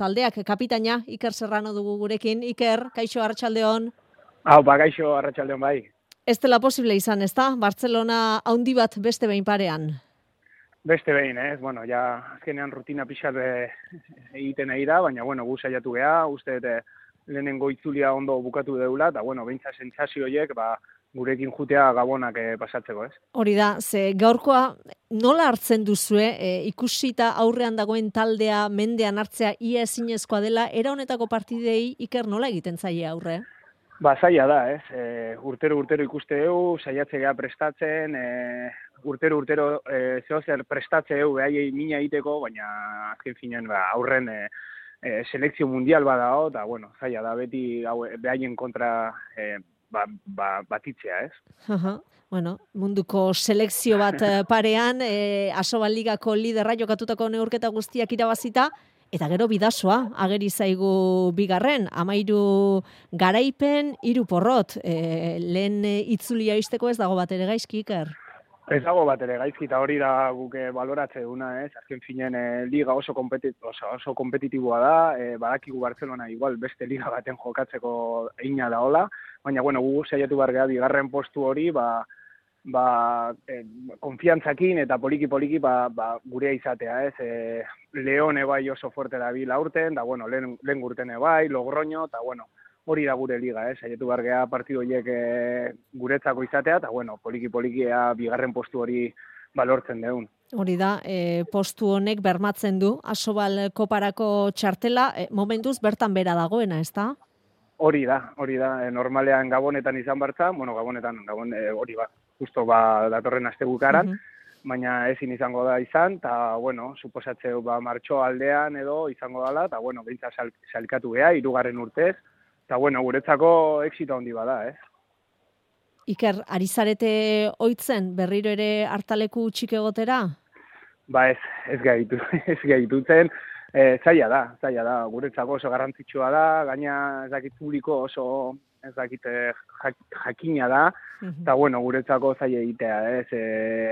taldeak kapitaina Iker Serrano dugu gurekin. Iker, kaixo arratsaldeon. Kaixo arratsaldeon bai. Ez dela posible izan, ezta? Bartzelona haundi bat beste behin parean. Beste behin, Bueno, ja azkenean rutina pixat egiten ari da, baina gu saiatu gea, uste lehenengo itzulia ondo bukatu deula, eta beintza sentsazio horiek, gurekin jutea gabonak pasatzeko, ez? Hori da, ze gaurkoa nola hartzen duzue, ikusita aurrean dagoen taldea mendean hartzea ia ezinezkoa dela, era honetako partidei Iker nola egiten zaie aurre? Zaila da, ez? Urtero ikuste dugu, saiatze gea prestatzen, urtero zehozer prestatze dugu behaiei mina egiteko, baina azken finean aurren selekzio mundial badao, eta zaila da beti behaien kontra batitzea, ez? Munduko selekzio bat parean, Asobal Ligako liderra jokatutako neurketa guztiak irabazita, eta gero bidasoa, ageri zaigu bigarren, 13 garaipen, 3 porrot. Lehen itzulia izteko ez dago bat ere gaizki, Iker? Ez dago bat ere gaizki, eta hori da guke baloratze duna, ez? Azken finen liga oso kompetitiboa da, badakigu Barcelona igual beste liga baten jokatzeko eina da hola, baina gu saiatu bargea bigarren postu hori, konfiantzakin eta poliki gurea izatea, ez? Leon bai oso fuerte da bil aurten, da lehen gurten bai, Logroño, eta hori da gure liga, saiatu bargea partidu horiek guretzako izatea, eta poliki bigarren postu hori balortzen deun. Hori da, postu honek bermatzen du, Asobal koparako txartela, momentuz bertan bera dagoena, ez da? Hori da, normalean Gabonetan izan bartza, Gabon hori justo datorren astebukaran, baina ezin izango da izan, eta, suposatzeu martxo aldean edo izango dela, eta, behintza salkatu geha, 3. urtez, eta, guretzako exito handi bada, ez? Iker, ari zarete oitzen berriro ere hartaleku txik egotera? Ez gehitutzen, zaila da, guretzako oso garrantzitsua da, gaina ez dakit publiko oso ez dakit jakina da, eta guretzako zaila egitea,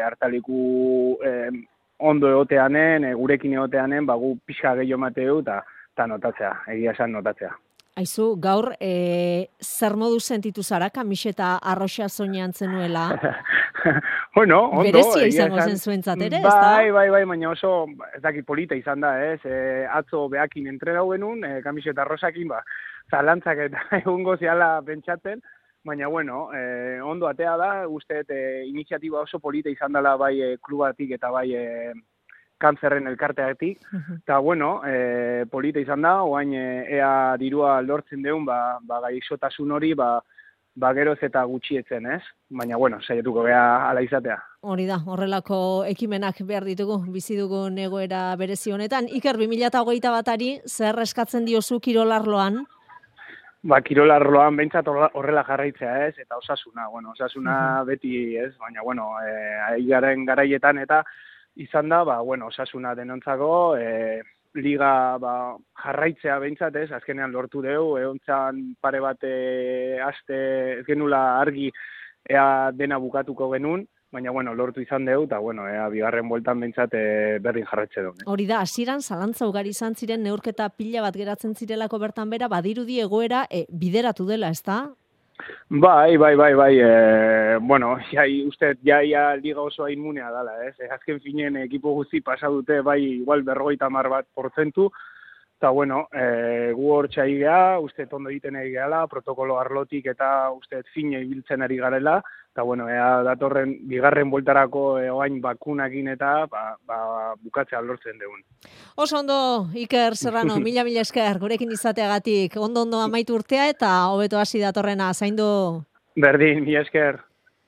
hartaleku ondo egoteanen, gurekin egoteanen, gu pixka gehiago mateu eta notatzea, egia esan notatzea. Aizu, gaur, zer modu sentitu zara, kamiseta arroxa soinean zenuela? Ondo. Berezia izango zen zuentzat ere, ez da? Bai, baina oso, ez dakit polita izan da, ez? Atzo behakin entrenau genuen, kamiseta arroxakin, zalantzak eta egungo ziala pentsatzen, baina, ondo atea da, usteet iniziatiba oso polita izan dela bai klubatik eta bai kantzerren elkarteatik, eta, polita izan da, oain ea dirua lortzen deun, gaixotasun hori, geroz eta gutxietzen, ez? Baina, saiatuko gea ala izatea. Hori da, horrelako ekimenak behar ditugu, bizi dugun egoera berezi honetan. Iker, 2021 zer eskatzen diozu kirolarloan? Kirolarloan behintzat horrela jarraitzea, ez? Eta osasuna, osasuna beti, ez? Baina, aigaren garaietan eta izan da, osasuna denontzako, liga jarraitzea behintzat, ez? Azkenean lortu dugu, egontzan pare bat aste ez genula argi ea dena bukatuko genuen, baina, lortu izan dugu, eta, ea bigarren bueltan behintzat berdin jarraitze dugu. Hori da, hasieran zalantza ugari izan ziren neurketa pila bat geratzen zirelako bertan bera, badirudi egoera bideratu dela, ez da? Bai. Uste, jaia liga oso inmunea dela, ez? Azken finen ekipo guzti pasa dute, igual 50%, eta, gu hor txai geha, uste ondo egiten ari gehala, protokolo arlotik eta uste fine ibiltzen ari garela, eta, ea datorren bigarren bueltarako oain bakunakin eta bukatzea lortzen deun. Oso ondo, Iker Serrano, mila esker, gurekin izateagatik, ondo amaitu urtea eta hobeto hasi datorrena, zaindu. Berdin, mila esker.